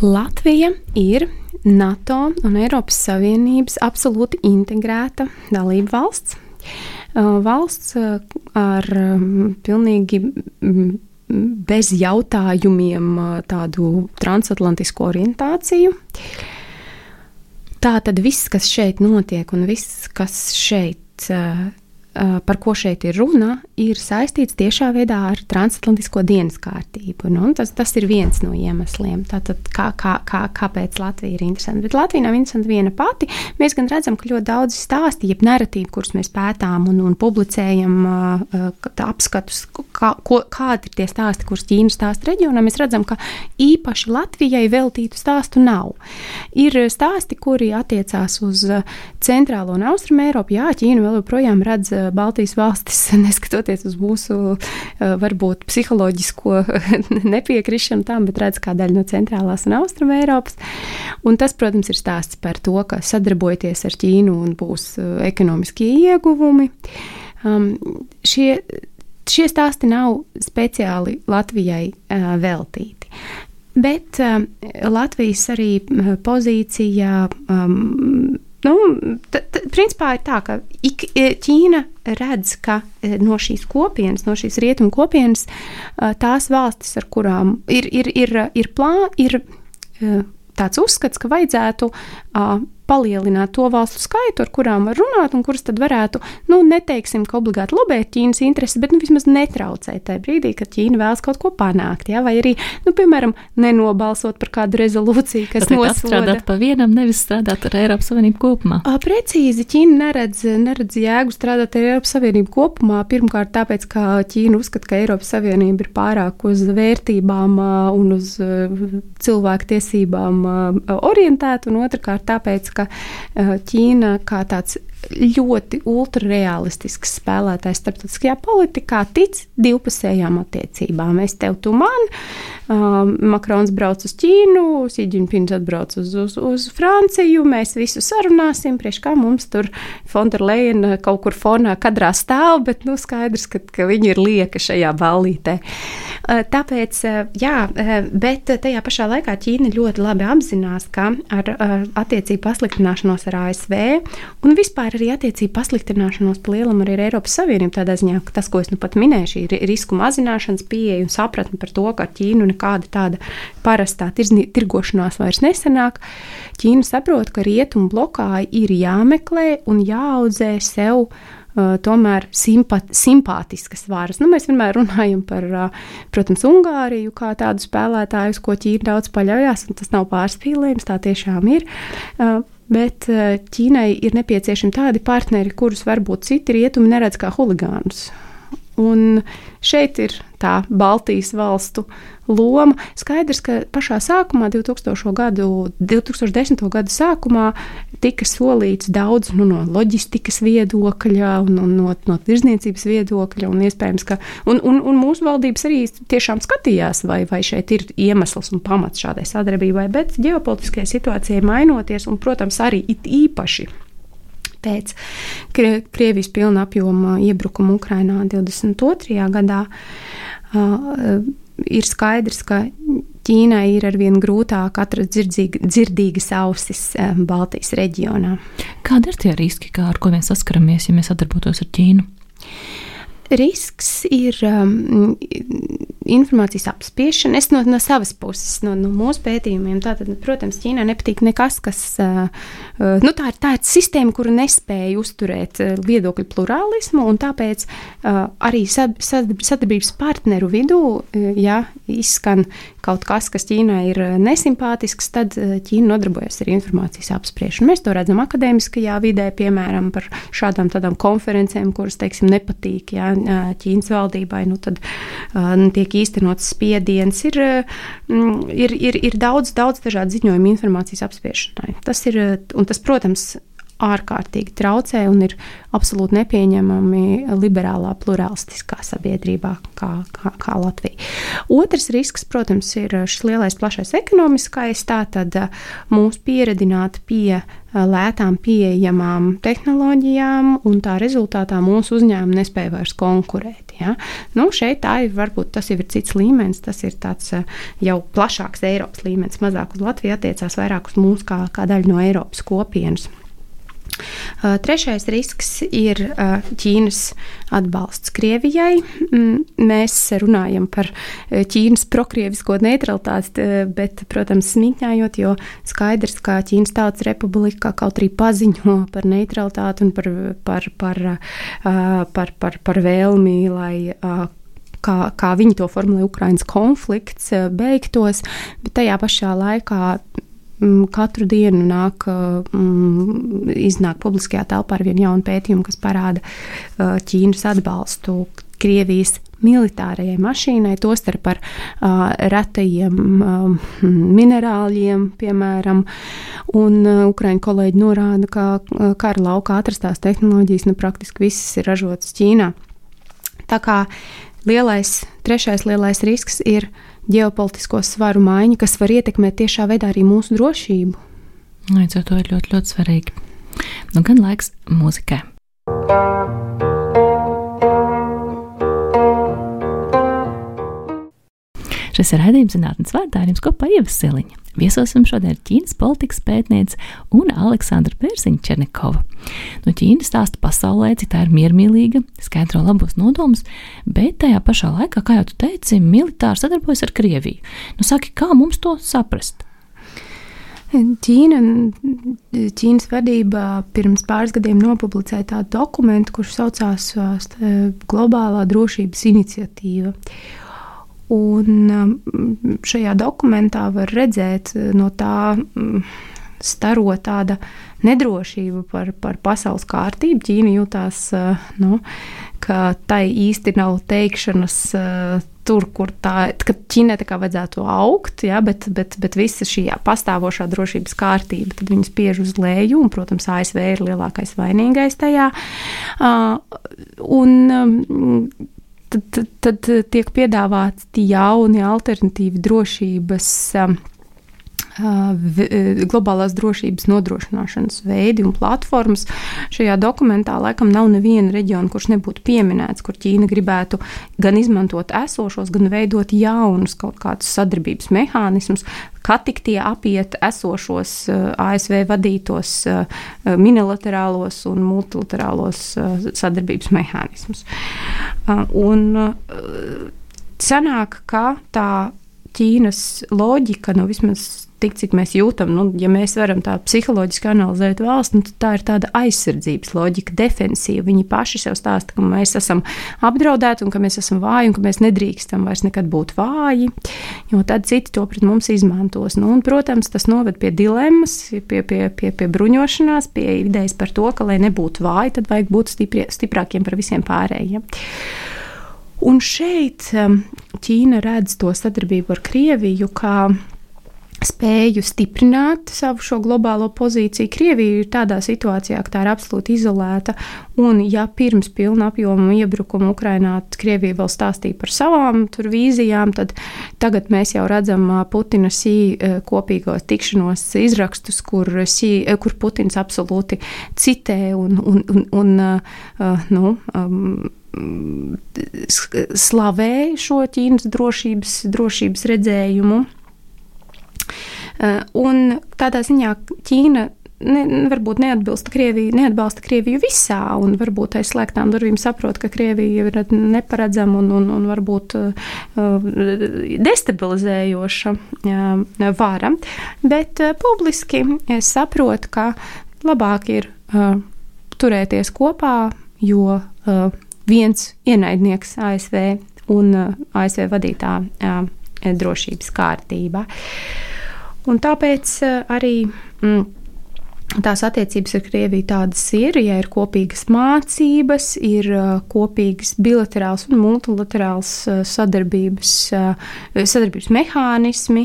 B: Latvija ir NATO un Eiropas Savienības absolūti integrēta dalība valsts. Valsts ar pilnīgi bez jautājumiem tādu transatlantisku orientāciju. Tā tad viss, kas šeit notiek un viss, kas šeit, par ko šeit ir runa, ir saistīts tiešā veidā ar transatlantisko dienas kārtību. Nu, tas ir viens no iemesliem. Tātad, kāpēc Latvija ir interesanta? Bet Latvija nav interesanta viena pati. Mēs gan redzam, ka ļoti daudz stāsti, jeb narratīvi, kurus mēs pētām un publicējam apskatus, kādi ir tie stāsti, kurus Ķīna stāsta reģionā, mēs redzam, ka īpaši Latvijai veltītu stāstu nav. Ir stāsti, kuri attiecās uz centrālo un austrumu Eiropu. Jā, Ķīna vēl joprojām redz Baltijas valstis, neskatoties uz mūsu varbūt psiholoģisko nepiekrišanu tam, bet redz kā daļu no centrālās un austruma Eiropas. Un tas, protams, ir stāsts par to, ka sadarbojoties ar Ķīnu un būs ekonomiskie ieguvumi. Šie stāsti nav speciāli Latvijai veltīti. Bet Latvijas arī pozīcija principā ir tā, ka Ķīna redz, ka no šīs kopienas, no šīs rietumu kopienas, tās valstis, ar kurām ir tāds uzskats, ka vajadzētu palielināt to valstu skaitu, ar kurām var runāt un kuras tad varētu, neteiksim, ka obligāti lobēt Ķīnas intereses, bet vismaz netraucēt tajā brīdī, kad Ķīna vēlas kaut ko panākt, jā, vai arī, piemēram, nenobalsot par kādu rezolūciju, kas nosoda.
C: Strādāt pa vienam, nevis strādāt ar Eiropas Savienību kopumā.
B: Precīzi, Ķīna neredz jēgu strādāt ar Eiropas Savienību kopumā, pirmkārt tāpēc, ka Ķīna uzskata, ka Eiropas Savienība ir pārāk uz vērtībām un uz cilvēku tiesībām orientēta, un otrkārt tāpēc, ka Ķīna kā tāds ļoti ultrarealistisks spēlētājs starptautiskajā politikā tic divpusējām attiecībām. Es tev, tu man, Makrons brauc uz Ķīnu, Xi Jinpings atbrauc uz Franciju, mēs visu sarunāsim, priekš kā mums tur von der Leyen kaut kur fonā kadrā stāv, bet skaidrs, ka viņi ir lieka šajā ballītē. Tāpēc, bet tajā pašā laikā Ķīna ļoti labi apzinās, ka ar attiecību pasliktināšanos ar ASV un vispār arī attiecību pasliktināšanos pa lielam arī ar Eiropas Savienību, tādā ziņā, ka tas, ko es pat minēju, šī risku mazināšanas pieeja un sapratne par to, ka ar Ķīnu nekāda tāda parastā tirgošanās vairs nesanāk. Ķīna saprot, ka rietumu blokā ir jāmeklē un jāaudzē sev tomēr simpātiskas varas. Mēs vienmēr runājam par, protams, Ungāriju kā tādu spēlētāju, ko Ķīna daudz paļaujās, un tas nav pārspīlējums, tā tiešām ir. Bet Ķīnai ir nepieciešami tādi partneri, kurus varbūt citi rietumi neredz kā huligānus. Un šeit ir tā Baltijas valstu loma. Skaidrs, ka pašā sākumā, 2010. gadu sākumā, tika solīts daudz no loģistikas viedokļa un no tirzniecības viedokļa, un iespējams, ka un mūsu valdības arī tiešām skatījās, vai šeit ir iemesls un pamats šādai sadarbībai, bet ģeopolitiskajai situācijai mainoties, un, protams, arī it īpaši pēc Krievijas pilna apjoma iebrukuma Ukrainā 22. gadā, ir skaidrs, ka Ķīnai ir arvien grūtāk atrast dzirdīgas ausis Baltijas reģionā.
C: Kādi ir tie riski, ar ko mēs saskaramies, ja mēs sadarbotos ar Ķīnu?
B: Risks ir informācijas apspiešana. Es no savas puses, no mūsu pētījumiem, tātad, protams, Ķīnai nepatīk nekas, kas, tā ir sistēma, kura nespēja uzturēt viedokļu plurālismu, un tāpēc arī sadarbības partneru vidū, ja izskan kaut kas Ķīnai ir nesimpātisks, tad Ķīna nodarbojas ar informācijas apspriešanu. Mēs to redzam akadēmiskajā vidē, piemēram, par šādām tādām konferencēm, kuras, teiksim, nepatīk, Ķīnas valdībai, tad tiek īstenots spiediens. Ir daudz dažādu ziņojumu informācijas apspiešanai. Tas, protams, ārkārtīgi traucē un ir absolūti nepieņemami liberālā pluralistiskā sabiedrībā kā Latvija. Otrs risks, protams, ir šis lielais plašais ekonomiskais, tātad mūs pieredināt pie lētām pieejamām tehnoloģijām, un tā rezultātā mūsu uzņēmumi nespēja vairs konkurēt. Ja? Šeit varbūt tas jau ir cits līmenis, tas ir tāds jau plašāks Eiropas līmenis, mazāk uz Latviju attiecās vairāk uz mūs kā daļu no Eiropas kopienas. Trešais risks ir Ķīnas atbalsts Krievijai. Mēs runājam par Ķīnas prokrievisko neutralitāti, bet, protams, smīkņājot, jo skaidrs, ka Ķīnas Tautas Republika kaut arī paziņo par neutralitāti un par vēlmi, lai kā viņi to formulē, Ukrainas konflikts beigtos, bet tajā pašā laikā katru dienu iznāk publiskajā telpā ar vienu jaunu pētījumu, kas parāda Ķīnas atbalstu Krievijas militārajai mašīnai, tostarp par retajiem minerāļiem, piemēram, un ukraiņu kolēģi norāda, ka kara laukā atrastās tehnoloģijas praktiski visas ir ražotas Ķīnā. Tā kā trešais lielais risks ir ģeopolitisko svaru maiņa, kas var ietekmēt tiešā veidā arī mūsu drošību.
C: Līdz ar to ir ļoti, ļoti svarīgi. Gan laiks mūzikai. Šis ir raidījums Zinātnes vārdā, ar jums kopā Ieva Siliņa. Viesosim šodien Ķīnas politikas pētniece un Aleksandra Pērziņa-Černekova. No Ķīnas stāsta pasaulē, cik tā ir miermīlīga, skaidro labos nodomus, bet tajā pašā laikā, kā jau tu teici, militāri sadarbojas ar Krieviju. Saki, kā mums to saprast?
B: Ķīnas vadība pirms pāris gadiem nopublicēja tādu dokumentu, kurš saucās Globālā drošības iniciatīva. Un šajā dokumentā var redzēt no tā staro tāda nedrošība par pasaules kārtību. Ķīna jūtās, ka tai īsti nav teikšanas tur, kur ka Ķīnai tā kā vajadzētu augt, ja, bet visa šī pastāvošā drošības kārtība, tad viņi spiež uz leju, un, protams, ASV ir lielākais vainīgais tajā. Tad tiek piedāvāti jauni alternatīvi drošības, globālās drošības nodrošināšanas veidi un platformas. Šajā dokumentā laikam nav neviena reģiona, kurš nebūtu pieminēts, kur Ķīna gribētu gan izmantot esošos, gan veidot jaunus kaut kādus sadarbības mehānismus, kā tik tie apiet esošos ASV vadītos minilaterālos un multilaterālos sadarbības mehānismus. Un sanāk, ka tā Ķīnas loģika, vismaz tik, cik mēs jūtam, ja mēs varam tā psiholoģiski analizēt valsts, tad tā ir tāda aizsardzības loģika, defensīva. Viņi paši sev stāsta, ka mēs esam apdraudēti un ka mēs esam vāji un ka mēs nedrīkstam vairs nekad būt vāji, jo tad citi to pret mums izmantos. Un, protams, tas noved pie dilemmas, pie bruņošanās, pie idejas par to, ka, lai nebūtu vāji, tad vajag būt stiprākiem par visiem pārējiem. Un šeit Ķīna redz to sadarbību ar Krieviju kā spēju stiprināt savu šo globālo pozīciju. Krievija ir tādā situācijā, ka tā ir absolūti izolēta, un ja pirms pilna apjoma iebrukuma Ukrainā Krievija vēl stāstīja par savām vīzijām, tad tagad mēs jau redzam Putina kopīgos tikšanos izrakstus, kur Putins absolūti citē un slavē šo Ķīnas drošības redzējumu. Un tādā ziņā Ķīna varbūt neatbalsta Krieviju visā, un varbūt aiz slēgtām durvīm saprot, ka Krievija ir neparedzama un varbūt destabilizējoša vara. Bet publiski es saprotu, ka labāk ir turēties kopā, jo viens ienaidnieks ASV un ASV vadītā drošības kārtība. Un tāpēc arī tās attiecības ar Krieviju tādas ir, ja ir kopīgas mācības, ir kopīgas bilaterāls un multilaterāls sadarbības mehānismi.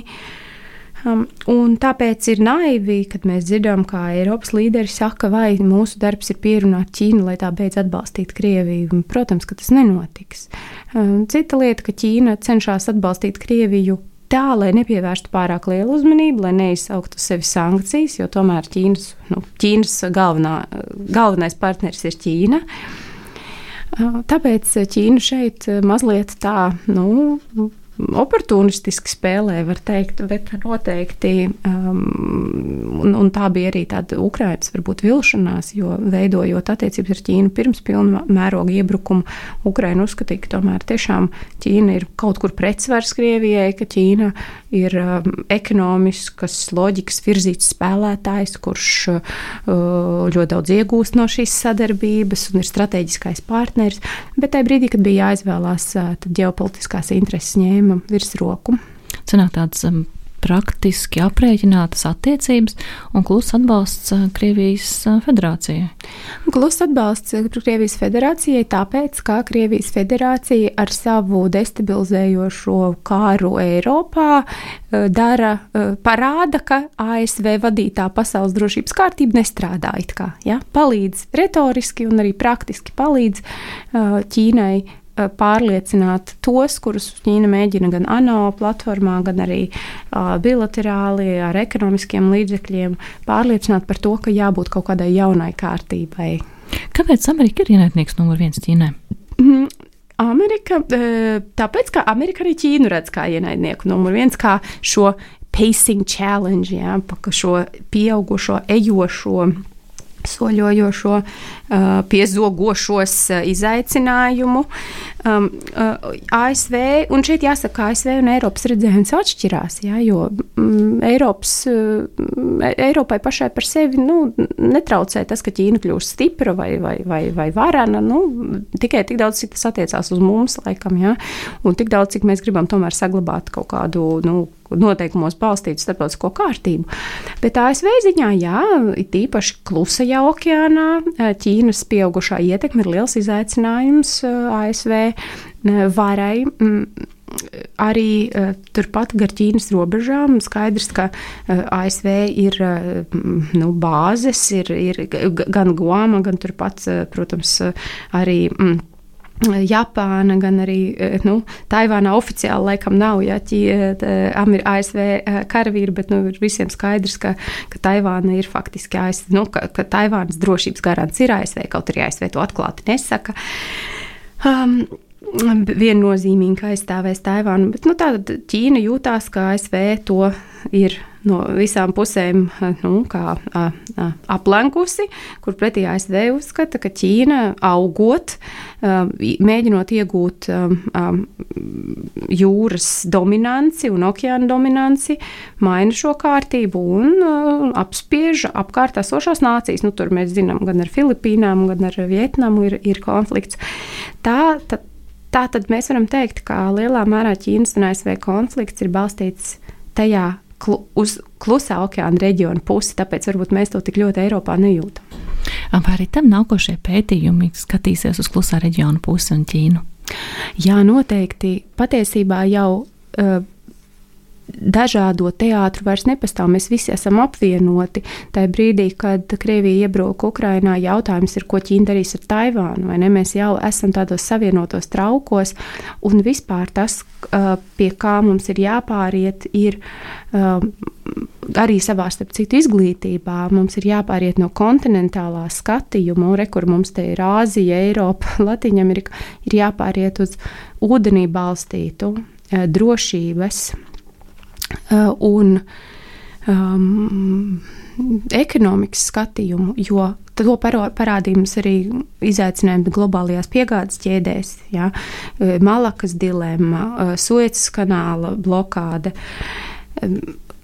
B: Un tāpēc ir naivi, kad mēs dzirdam, kā Eiropas līderi saka, vai mūsu darbs ir pierunāt Ķīnu, lai tā beidz atbalstīt Krieviju. Protams, ka tas nenotiks. Cita lieta, ka Ķīna cenšas atbalstīt Krieviju tā, lai nepievērstu pārāk lielu uzmanību, lai neizsauktu sevi sankcijas, jo tomēr Ķīnas galvenais partneris ir Ķīna. Tāpēc Ķīna šeit mazliet tā, oportunistiski spēlē, var teikt, bet noteikti, un tā bija arī tāda Ukrainas varbūt vilšanās, jo veidojot attiecības ar Ķīnu pirms pilna mēroga iebrukuma, Ukraina uzskatīja, ka tomēr tiešām Ķīna ir kaut kur pretsvars Krievijai, ka Ķīna ir ekonomiskas loģikas virzīts spēlētājs, kurš ļoti daudz iegūst no šīs sadarbības un ir strateģiskais partneris, bet tajā brīdī, kad bija jāizvēlās, tad ģeopolitiskās intereses ņēma virsroku.
C: Cenāk tādas praktiski aprēķinātas attiecības un kluss atbalsts Krievijas federācijai.
B: Kluss atbalsts Krievijas federācijai tāpēc, ka Krievijas federācija ar savu destabilizējošo kāru Eiropā parāda, ka ASV vadītā pasaules drošības kārtība nestrādā it kā. Ja? Palīdz retoriski un arī praktiski palīdz Ķīnai pārliecināt tos, kurus Ķīna mēģina gan ANO platformā, gan arī bilaterāli ar ekonomiskiem līdzekļiem pārliecināt par to, ka jābūt kaut kādai jaunai kārtībai.
C: Kāpēc Amerika ir ienaidnieks numur 1 Ķīnai?
B: Amerika, tāpēc, ka Amerika arī Ķīnu redz kā ienaidnieku numur 1, kā šo pacing challenge, šo pieaugušo, ejošo, soļojošo, piezogošos izaicinājumu. ASV, un šeit jāsaka, ASV un Eiropas redzējums atšķirās, jo Eiropai pašai par sevi netraucē tas, ka Ķīna kļūst stipra vai varena, tikai tik daudz, cik tas attiecās uz mums, laikam, un tik daudz, cik mēs gribam tomēr saglabāt kaut kādu, noteikumos balstītu starptautisko kārtību. Bet ASV ziņā, it īpaši Klusajā okeānā, Ķīnas pieaugušā ietekme ir liels izaicinājums ASV varai. Arī turpat gar Ķīnas robežām skaidrs, ka ASV ir bāzes, ir gan Guama, gan turpat, protams, arī Japāna, gan arī Taivānā oficiāli laikam nav, ASV karavīri, bet ir visiem skaidrs, ka Taivāna ir faktiski ASV, ka Taivānas drošības garants ir ASV, kaut arī ASV to atklāti nesaka. Viennozīmīgi aizstāvēs Taivānu, bet tātad Ķīna jūtās, ka ASV to ir no visām pusēm aplenkusi, kur pretī ASV uzskata, ka Ķīna augot, mēģinot iegūt jūras dominanci un okeāna dominanci, maina šo kārtību un apspiež apkārt esošās nācijas. Tur mēs zinām, gan ar Filipīnām, gan ar Vietnamu ir konflikts. Tātad mēs varam teikt, ka lielā mērā Ķīnas un ASV konflikts ir balstīts tajā uz Klusā okeāna reģiona pusi, tāpēc varbūt mēs to tik ļoti Eiropā nejūtam.
C: Vai arī tam nākošie pētījumi skatīsies uz Klusā reģiona pusi un Ķīnu?
B: Jā, noteikti. Patiesībā jau dažādo teātru vairs nepastāv. Mēs visi esam apvienoti. Tajā brīdī, kad Krievija iebruka Ukrainā, jautājums ir, ko Ķīna darīs ar Taivānu, vai ne? Mēs jau esam tādos savienotos traukos, un vispār tas, pie kā mums ir jāpāriet, ir arī savā starp citu izglītībā. Mums ir jāpāriet no kontinentālā skatījuma, kur mums te ir Āzija, Eiropa, Latviņamerika, ir jāpāriet uz ūdenī balstītu drošības un ekonomikas skatījumu, jo to parādīja mums arī izaicinājumi globālajās piegādes ķēdēs, Malakas dilemma, Suecas kanāla blokāde,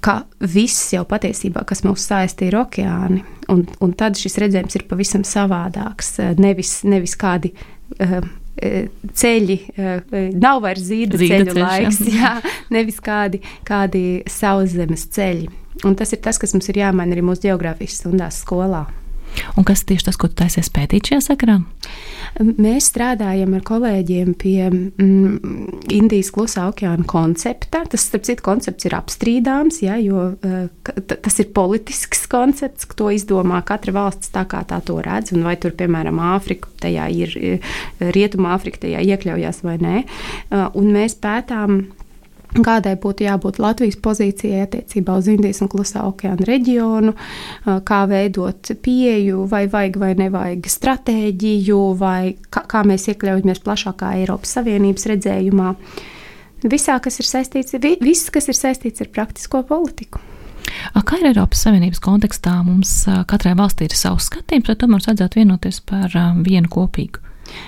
B: ka viss jau patiesībā, kas mūs saista, ir okeāni, un tad šis redzējums ir pavisam savādāks, nevis kādi ceļi, nav vairs zīda ceļu laiks, nevis kādi sauszemes ceļi. Un tas ir tas, kas mums ir jāmaina arī mūsu ģeogrāfijas stundās skolā.
C: Un kas tieši tas, ko tu taisies pētīt šajā sakarā?
B: Mēs strādājam ar kolēģiem pie Indijas klusā okeāna koncepta. Tas, starp citu, koncepts ir apstrīdāms, ja, jo tas ir politisks koncepts, ka to izdomā katra valsts tā, kā tā to redz, un vai tur, piemēram, Āfrika, tajā ir Rietuma Āfrika, tajā iekļaujās vai nē. Un mēs pētām, kādai būtu jābūt Latvijas pozīcijai attiecībā uz Indijas un Klusā okeāna reģionu, kā veidot pieeju, vai vajag vai nevajag stratēģiju, vai kā mēs iekļaujamies plašākā Eiropas Savienības redzējumā. Visā, kas ir saistīts, viss, kas ir saistīts ar praktisko politiku.
C: Kā ir Eiropas Savienības kontekstā? Mums katrai valstī ir savs skatījums, vai tomēr vajadzētu vienoties par vienu kopīgu?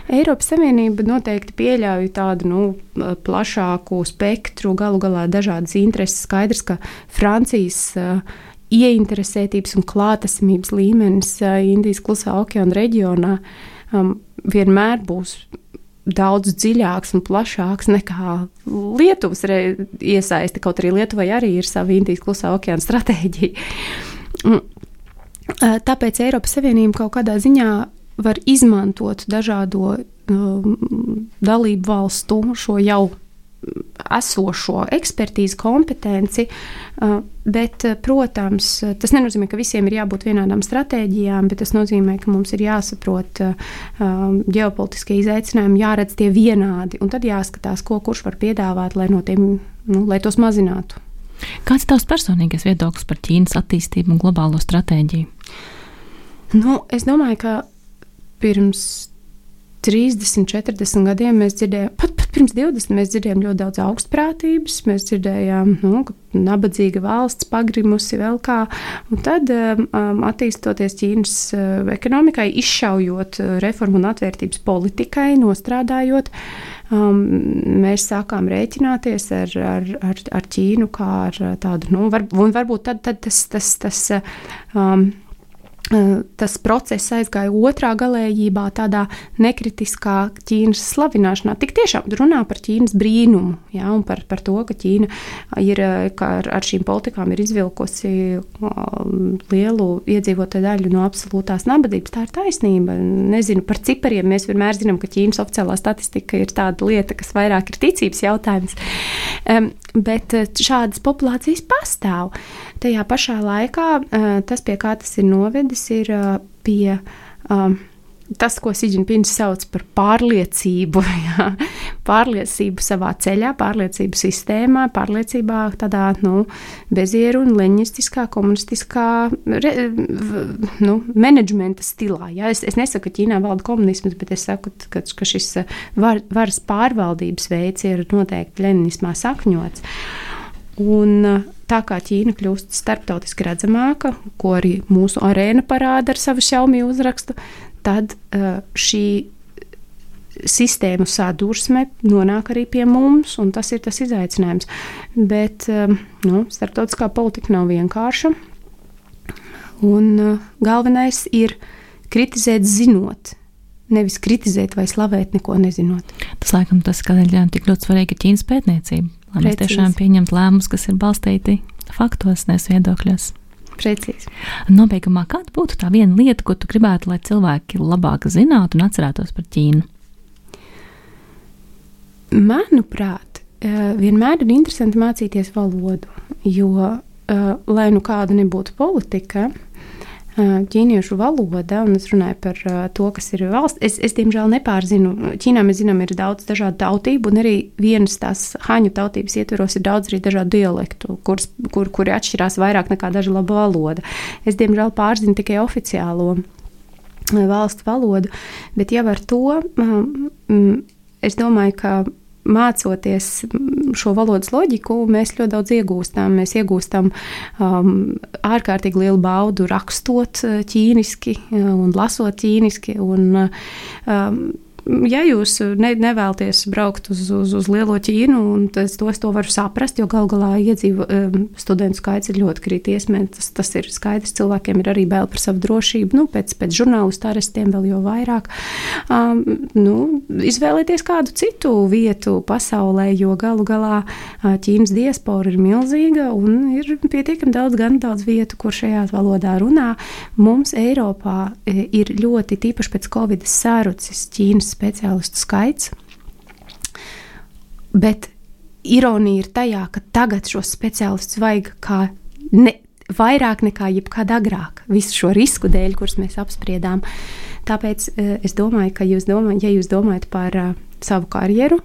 B: Eiropas Savienība noteikti pieļauj tādu plašāku spektru, galu galā dažādas intereses. Skaidrs, ka Francijas ieinteresētības un klātesamības līmenis Indijas Klusā okeāna reģionā vienmēr būs daudz dziļāks un plašāks nekā Lietuvas iesaisti, kaut arī Lietuvai arī ir sava Indijas Klusā okeāna stratēģija. Tāpēc Eiropas Savienība kaut kādā ziņā var izmantot dažādo dalību valstu šo jau esošo ekspertīzi, kompetenci, bet, protams, tas nenozīmē, ka visiem ir jābūt vienādām stratēģijām, bet tas nozīmē, ka mums ir jāsaprot ģeopolitiskie izaicinājumi, jāredz tie vienādi, un tad jāskatās, ko kurš var piedāvāt, lai no tiem, lai tos mazinātu.
C: Kāds ir tavs personīgais viedoklis par Ķīnas attīstību un globālo stratēģiju?
B: Es domāju, ka pirms 30, 40 gadiem mēs dzirdējām, pat pirms 20 mēs dzirdējām ļoti daudz augstprātības, mēs dzirdējām, ka nabadzīga valsts pagrimusi vēl kā, un tad attīstoties Ķīnas ekonomikai, izšaujot reformu un atvērtības politikai, nostrādājot, mēs sākām rēķināties ar Ķīnu kā ar tādu, un varbūt tad tas process aizgāja otrā galējībā, tādā nekritiskā Ķīnas slavināšanā. Tik tiešām runā par Ķīnas brīnumu, ja, un par to, ka Ķīna ir, ka ar šīm politikām ir izvilkusi lielu iedzīvotāju daļu no absolūtās nabadzības. Tā ir taisnība. Nezinu par cipariem. Mēs vienmēr zinām, ka Ķīnas oficiālā statistika ir tāda lieta, kas vairāk ir ticības jautājums. Bet šādas populācijas pastāv. Tajā pašā laikā tas, pie kā tas ir novedis, ir pie tas, ko Si Džinpings sauc par pārliecību. Jā. Pārliecību savā ceļā, pārliecību sistēmā, pārliecībā tādā bezieru un leņistiskā, komunistiskā menedžmenta stilā. Jā. Es nesaku, ka Ķīnā valda komunisms, bet es saku, ka šis varas pārvaldības veids ir noteikti leņinismā sakņots. Un tā kā Ķīna kļūst starptautiski redzamāka, ko arī mūsu arēna parāda ar savu Xiaomi uzrakstu, tad šī sistēmu sadursme nonāk arī pie mums, un tas ir tas izaicinājums. Bet starptautiskā politika nav vienkārša, un galvenais ir kritizēt zinot, nevis kritizēt vai slavēt neko nezinot.
C: Tas, laikam, kādēļ tik ļoti svarīga Ķīnas pētniecība, lai mēs tiešām pieņemt lēmumus, kas ir balstīti faktos, nevis viedokļos.
B: Precīzi.
C: Nobeigumā, kāda būtu tā viena lieta, ko tu gribētu, lai cilvēki labāk zinātu un atcerētos par Ķīnu?
B: Manuprāt, vienmēr ir interesanti mācīties valodu, jo, lai kāda nebūtu politika, ķīniešu valoda, un es runāju par to, kas ir valsts. Es diemžēl nepārzinu. Ķīnā mēs zinām, ir daudz dažādu tautību, un arī vienas tās haņu tautības ietveros ir daudz arī dažādu dialektu, kuri atšķirās vairāk nekā daža laba valoda. Es diemžēl pārzinu tikai oficiālo valstu valodu, bet jau ar to es domāju, ka mācoties šo valodas loģiku, mēs ļoti daudz iegūstam. Mēs iegūstam ārkārtīgi lielu baudu rakstot ķīniski un lasot ķīniski. Un, ja jūs nevēlaties braukt uz lielo Ķīnu, un to varu saprast, jo galu galā studentu skaits ir ļoti krities. Tas ir skaidrs, cilvēkiem ir arī bail par savu drošību, pēc žurnālistu arestiem vēl jau vairāk. Izvēlieties kādu citu vietu pasaulē, jo galu galā Ķīnas diaspora ir milzīga un ir pietiekami daudz vietu, kur šajā valodā runā. Mums Eiropā ir ļoti tīpaši pēc Covid sārucis Ķīnas speciālistu skaits, bet ironija ir tajā, ka tagad šos speciālistus vajag vairāk nekā jebkad agrāk, visu šo risku dēļ, kurus mēs apspriedām. Tāpēc es domāju, ka ja jūs domājat par savu karjeru,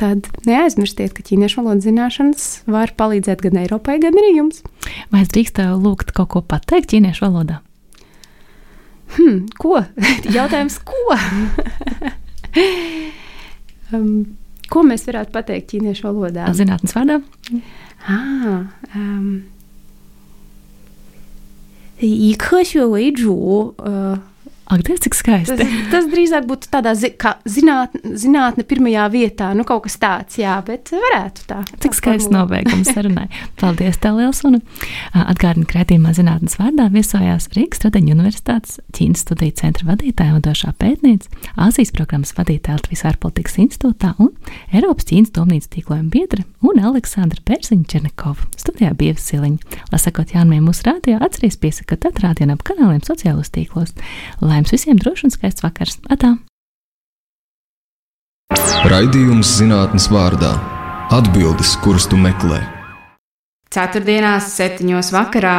B: tad neaizmirstiet, ka ķīniešu valodas zināšanas var palīdzēt gan Eiropai, gan arī jums.
C: Vai es drīkstu lūgt kaut ko pateikt ķīniešu valodā?
B: Ko? Jautājums, ko? Ko mēs varētu pateikt ķīniešu valodā?
C: Zinātnes vārdā?
B: Yī ke xue wei zhu.
C: Ak, Dievs, cik skaisti.
B: Tas drīzāk būtu tādā kā zinātne pirmajā vietā, kaut kas tāds, jā, bet varētu tā.
C: Cik skaists nobeigums sarunai. Paldies tev, liels, un atgādinu, ka raidījumā Zinātnes vārdā viesojās Rīgas Strateņu Universitātes Ķīnas studiju centra vadītāja vadošā pētniece, Āzijas programmas vadītāja Latvijas ārpolitikas institūtā un Eiropas Ķīnas domnīcas tīklojuma biedre un Aleksandra Pērziņa-Černekova. Studijā bija Ieva Siliņa. Lai sakot jaunumiem mūsu rādio, atceries piesakot atrādienu ap kanāliem sociālos tīklos. Lai jums visiem drošs un skaists vakars. Atā!
A: Raidījums Zinātnes vārdā. Atbildes, kuras tu meklē.
B: Ceturtdienās 7:00 vakarā